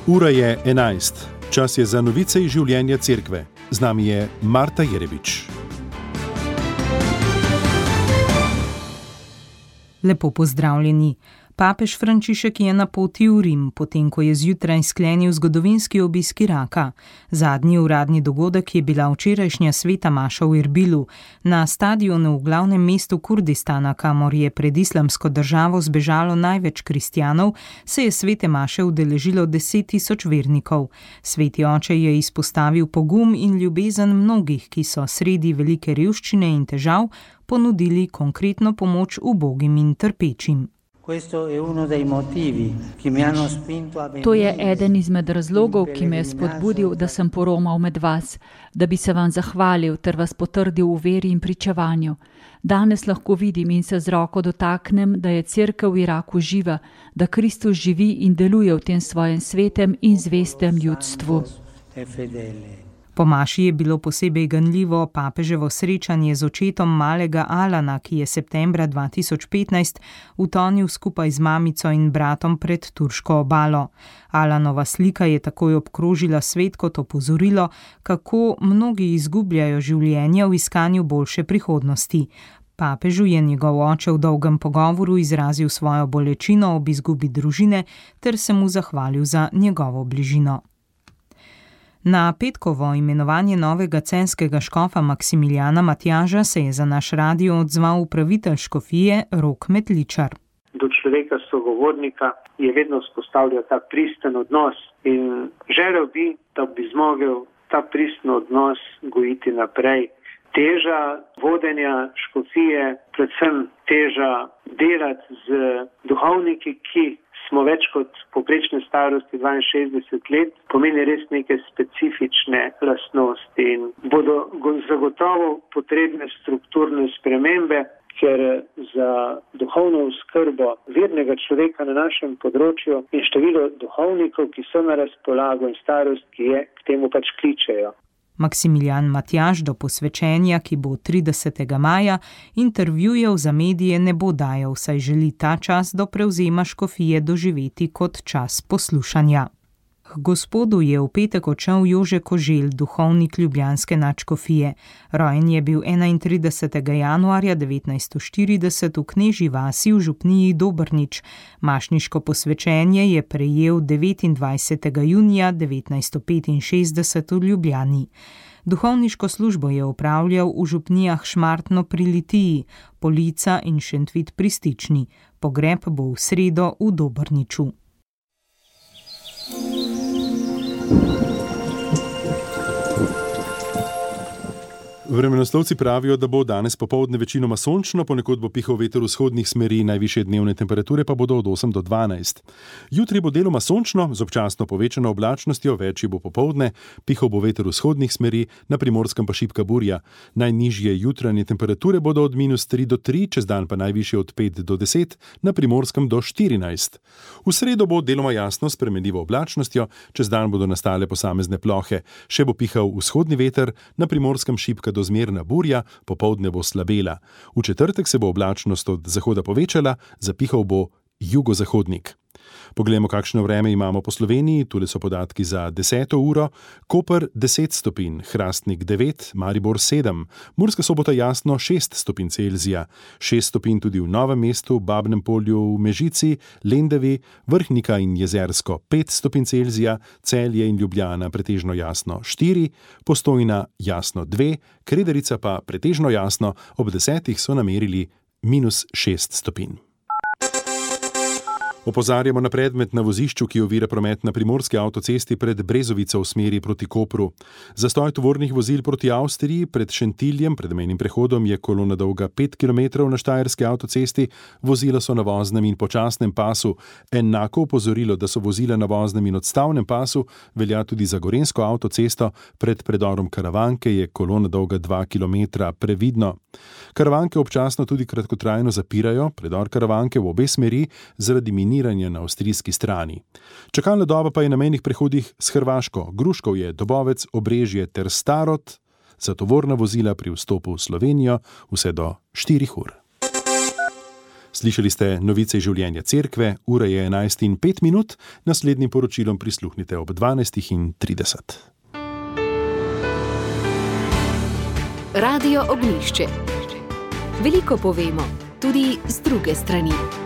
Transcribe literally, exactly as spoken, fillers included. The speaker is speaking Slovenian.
Ura je enajst. Čas je za novice iz življenja cerkve. Z nami je Marta Jerebič. Lepo pozdravljeni. Papež Frančišek je na poti v Rim, potem ko je zjutraj sklenil zgodovinski obisk Iraka. Zadnji uradni dogodek je bila včerajšnja sveta maša v Erbilu. Na stadionu v glavnem mestu Kurdistana, kamor je pred islamsko državo zbežalo največ kristjanov, se je svete maše udeležilo deset tisoč vernikov. Sveti oče je izpostavil pogum in ljubezen mnogih, ki so sredi velike revščine in težav ponudili konkretno pomoč ubogim in trpečim. To je eden izmed razlogov, ki me je spodbudil, da sem poromal med vas, da bi se vam zahvalil ter vas potrdil v veri in pričevanju. Danes lahko vidim in se z roko dotaknem, da je cerkev v Iraku živa, da Kristus živi in deluje v tem svojem svetem in zvestem ljudstvu. Po maši je bilo posebej ganljivo papeževo srečanje z očetom malega Alana, ki je septembra dva tisoč petnajst utonil skupaj z mamico in bratom pred turško obalo. Alanova slika je takoj obkrožila svet kot opozorilo, kako mnogi izgubljajo življenje v iskanju boljše prihodnosti. Papežu je njegov oče v dolgem pogovoru izrazil svojo bolečino ob izgubi družine ter se mu zahvalil za njegovo bližino. Na petkovo imenovanje novega censkega škofa Maksimiljana Matjaža se je za naš radio odzval upravitelj škofije Rok Metličar. Do človeka sogovornika je vedno vzpostavljal ta pristen odnos in želel bi, da bi zmogel ta pristen odnos gojiti naprej. Teža vodenja škofije, predvsem teža delati z duhovniki, ki smo več kot poprečne starosti dvainšestdeset let, pomeni res neke specifične lastnosti in bodo zagotovo potrebne strukturne spremembe, ker za duhovno oskrbo vernega človeka na našem področju in število duhovnikov, ki so na razpolago in starost, ki je, k temu pač kličejo. Maksimilijan Matjaž do posvečenja, ki bo tridesetega maja, intervjujev za medije ne bo dajal, saj želi ta čas do prevzema škofije doživeti kot čas poslušanja. K Gospodu je v petek odšel Jože Koželj, duhovnik ljubljanske nadškofije. Rojen je bil enaintridesetega januarja devetnajststo štirideset v Knežji vasi v župniji Dobrnič. Mašniško posvečenje je prejel devetindvajsetega junija devetnajststo petinšestdeset v Ljubljani. Duhovniško službo je opravljal v župnijah Šmartno pri Litiji, Polica in Šentvit pri Stični. Pogreb bo v sredo v Dobrniču. Vremenoslovci pravijo, da bo danes popoldne večinoma sončno, ponekod bo pihal veter vzhodnih smeri, najvišje dnevne temperature pa bodo od osem do dvanajst. Jutri bo deloma sončno, z občasno povečano oblačnostjo, večji bo popoldne, pihal bo veter vzhodnih smeri, na Primorskem pa šibka burja. Najnižje jutranje temperature bodo od minus tri do tri, čez dan pa najvišje od pet do deset, na Primorskem do štirinajst. V sredo bo deloma jasno s spremenljivo oblačnostjo, čez dan bodo nastale posamezne plohe. Še bo pihal vzhodni veter, na Primorskem šibka do zmerna burja, popoldne bo slabela. V četrtek se bo oblačnost od zahoda povečala, zapihal bo jugozahodnik. Poglejmo, kakšno vreme imamo po Sloveniji. Tule so podatki za deseto uro. Koper deset stopinj, Hrastnik devet, Maribor sedem, Murska Sobota jasno šest stopinj Celzija, šest stopinj tudi v Novem mestu, Babnem Polju, v Mežici, Lendavi, Vrhnika in Jezersko pet stopinj Celzija, Celje in Ljubljana pretežno jasno štiri, Postojna jasno dve, Krederica pa pretežno jasno, ob desetih so namerili minus šest stopinj. Opozarjamo na predmet na vozišču, ki ovira promet na primorski avtocesti pred Brezovico v smeri proti Kopru. Zastoj tovornih vozil proti Avstriji pred Šentiljem, pred mejnim prehodom, je kolona dolga pet kilometrov na štajerski avtocesti, vozila so na voznem in počasnem pasu. Enako opozorilo, da so vozila na voznem in odstavnem pasu, velja tudi za gorenjsko avtocesto, pred predorom Karavanke je kolona dolga dva kilometra, previdno. Karavanke občasno tudi kratkotrajno zapirajo, predor Karavanke v obe smeri zaradi miniranja na avstrijski strani. Čakalna doba pa je na mejnih prehodih s Hrvaško, Gruškov je, Dobovec, Obrežje ter Starod, za tovorna vozila pri vstopu v Slovenijo vse do štirih ur. Slišali ste novice življenja cerkve, ura je enajst in pet minut, naslednjim poročilom prisluhnite ob dvanajst in trideset. Radio Ognjišče. Veliko povemo, tudi z druge strani.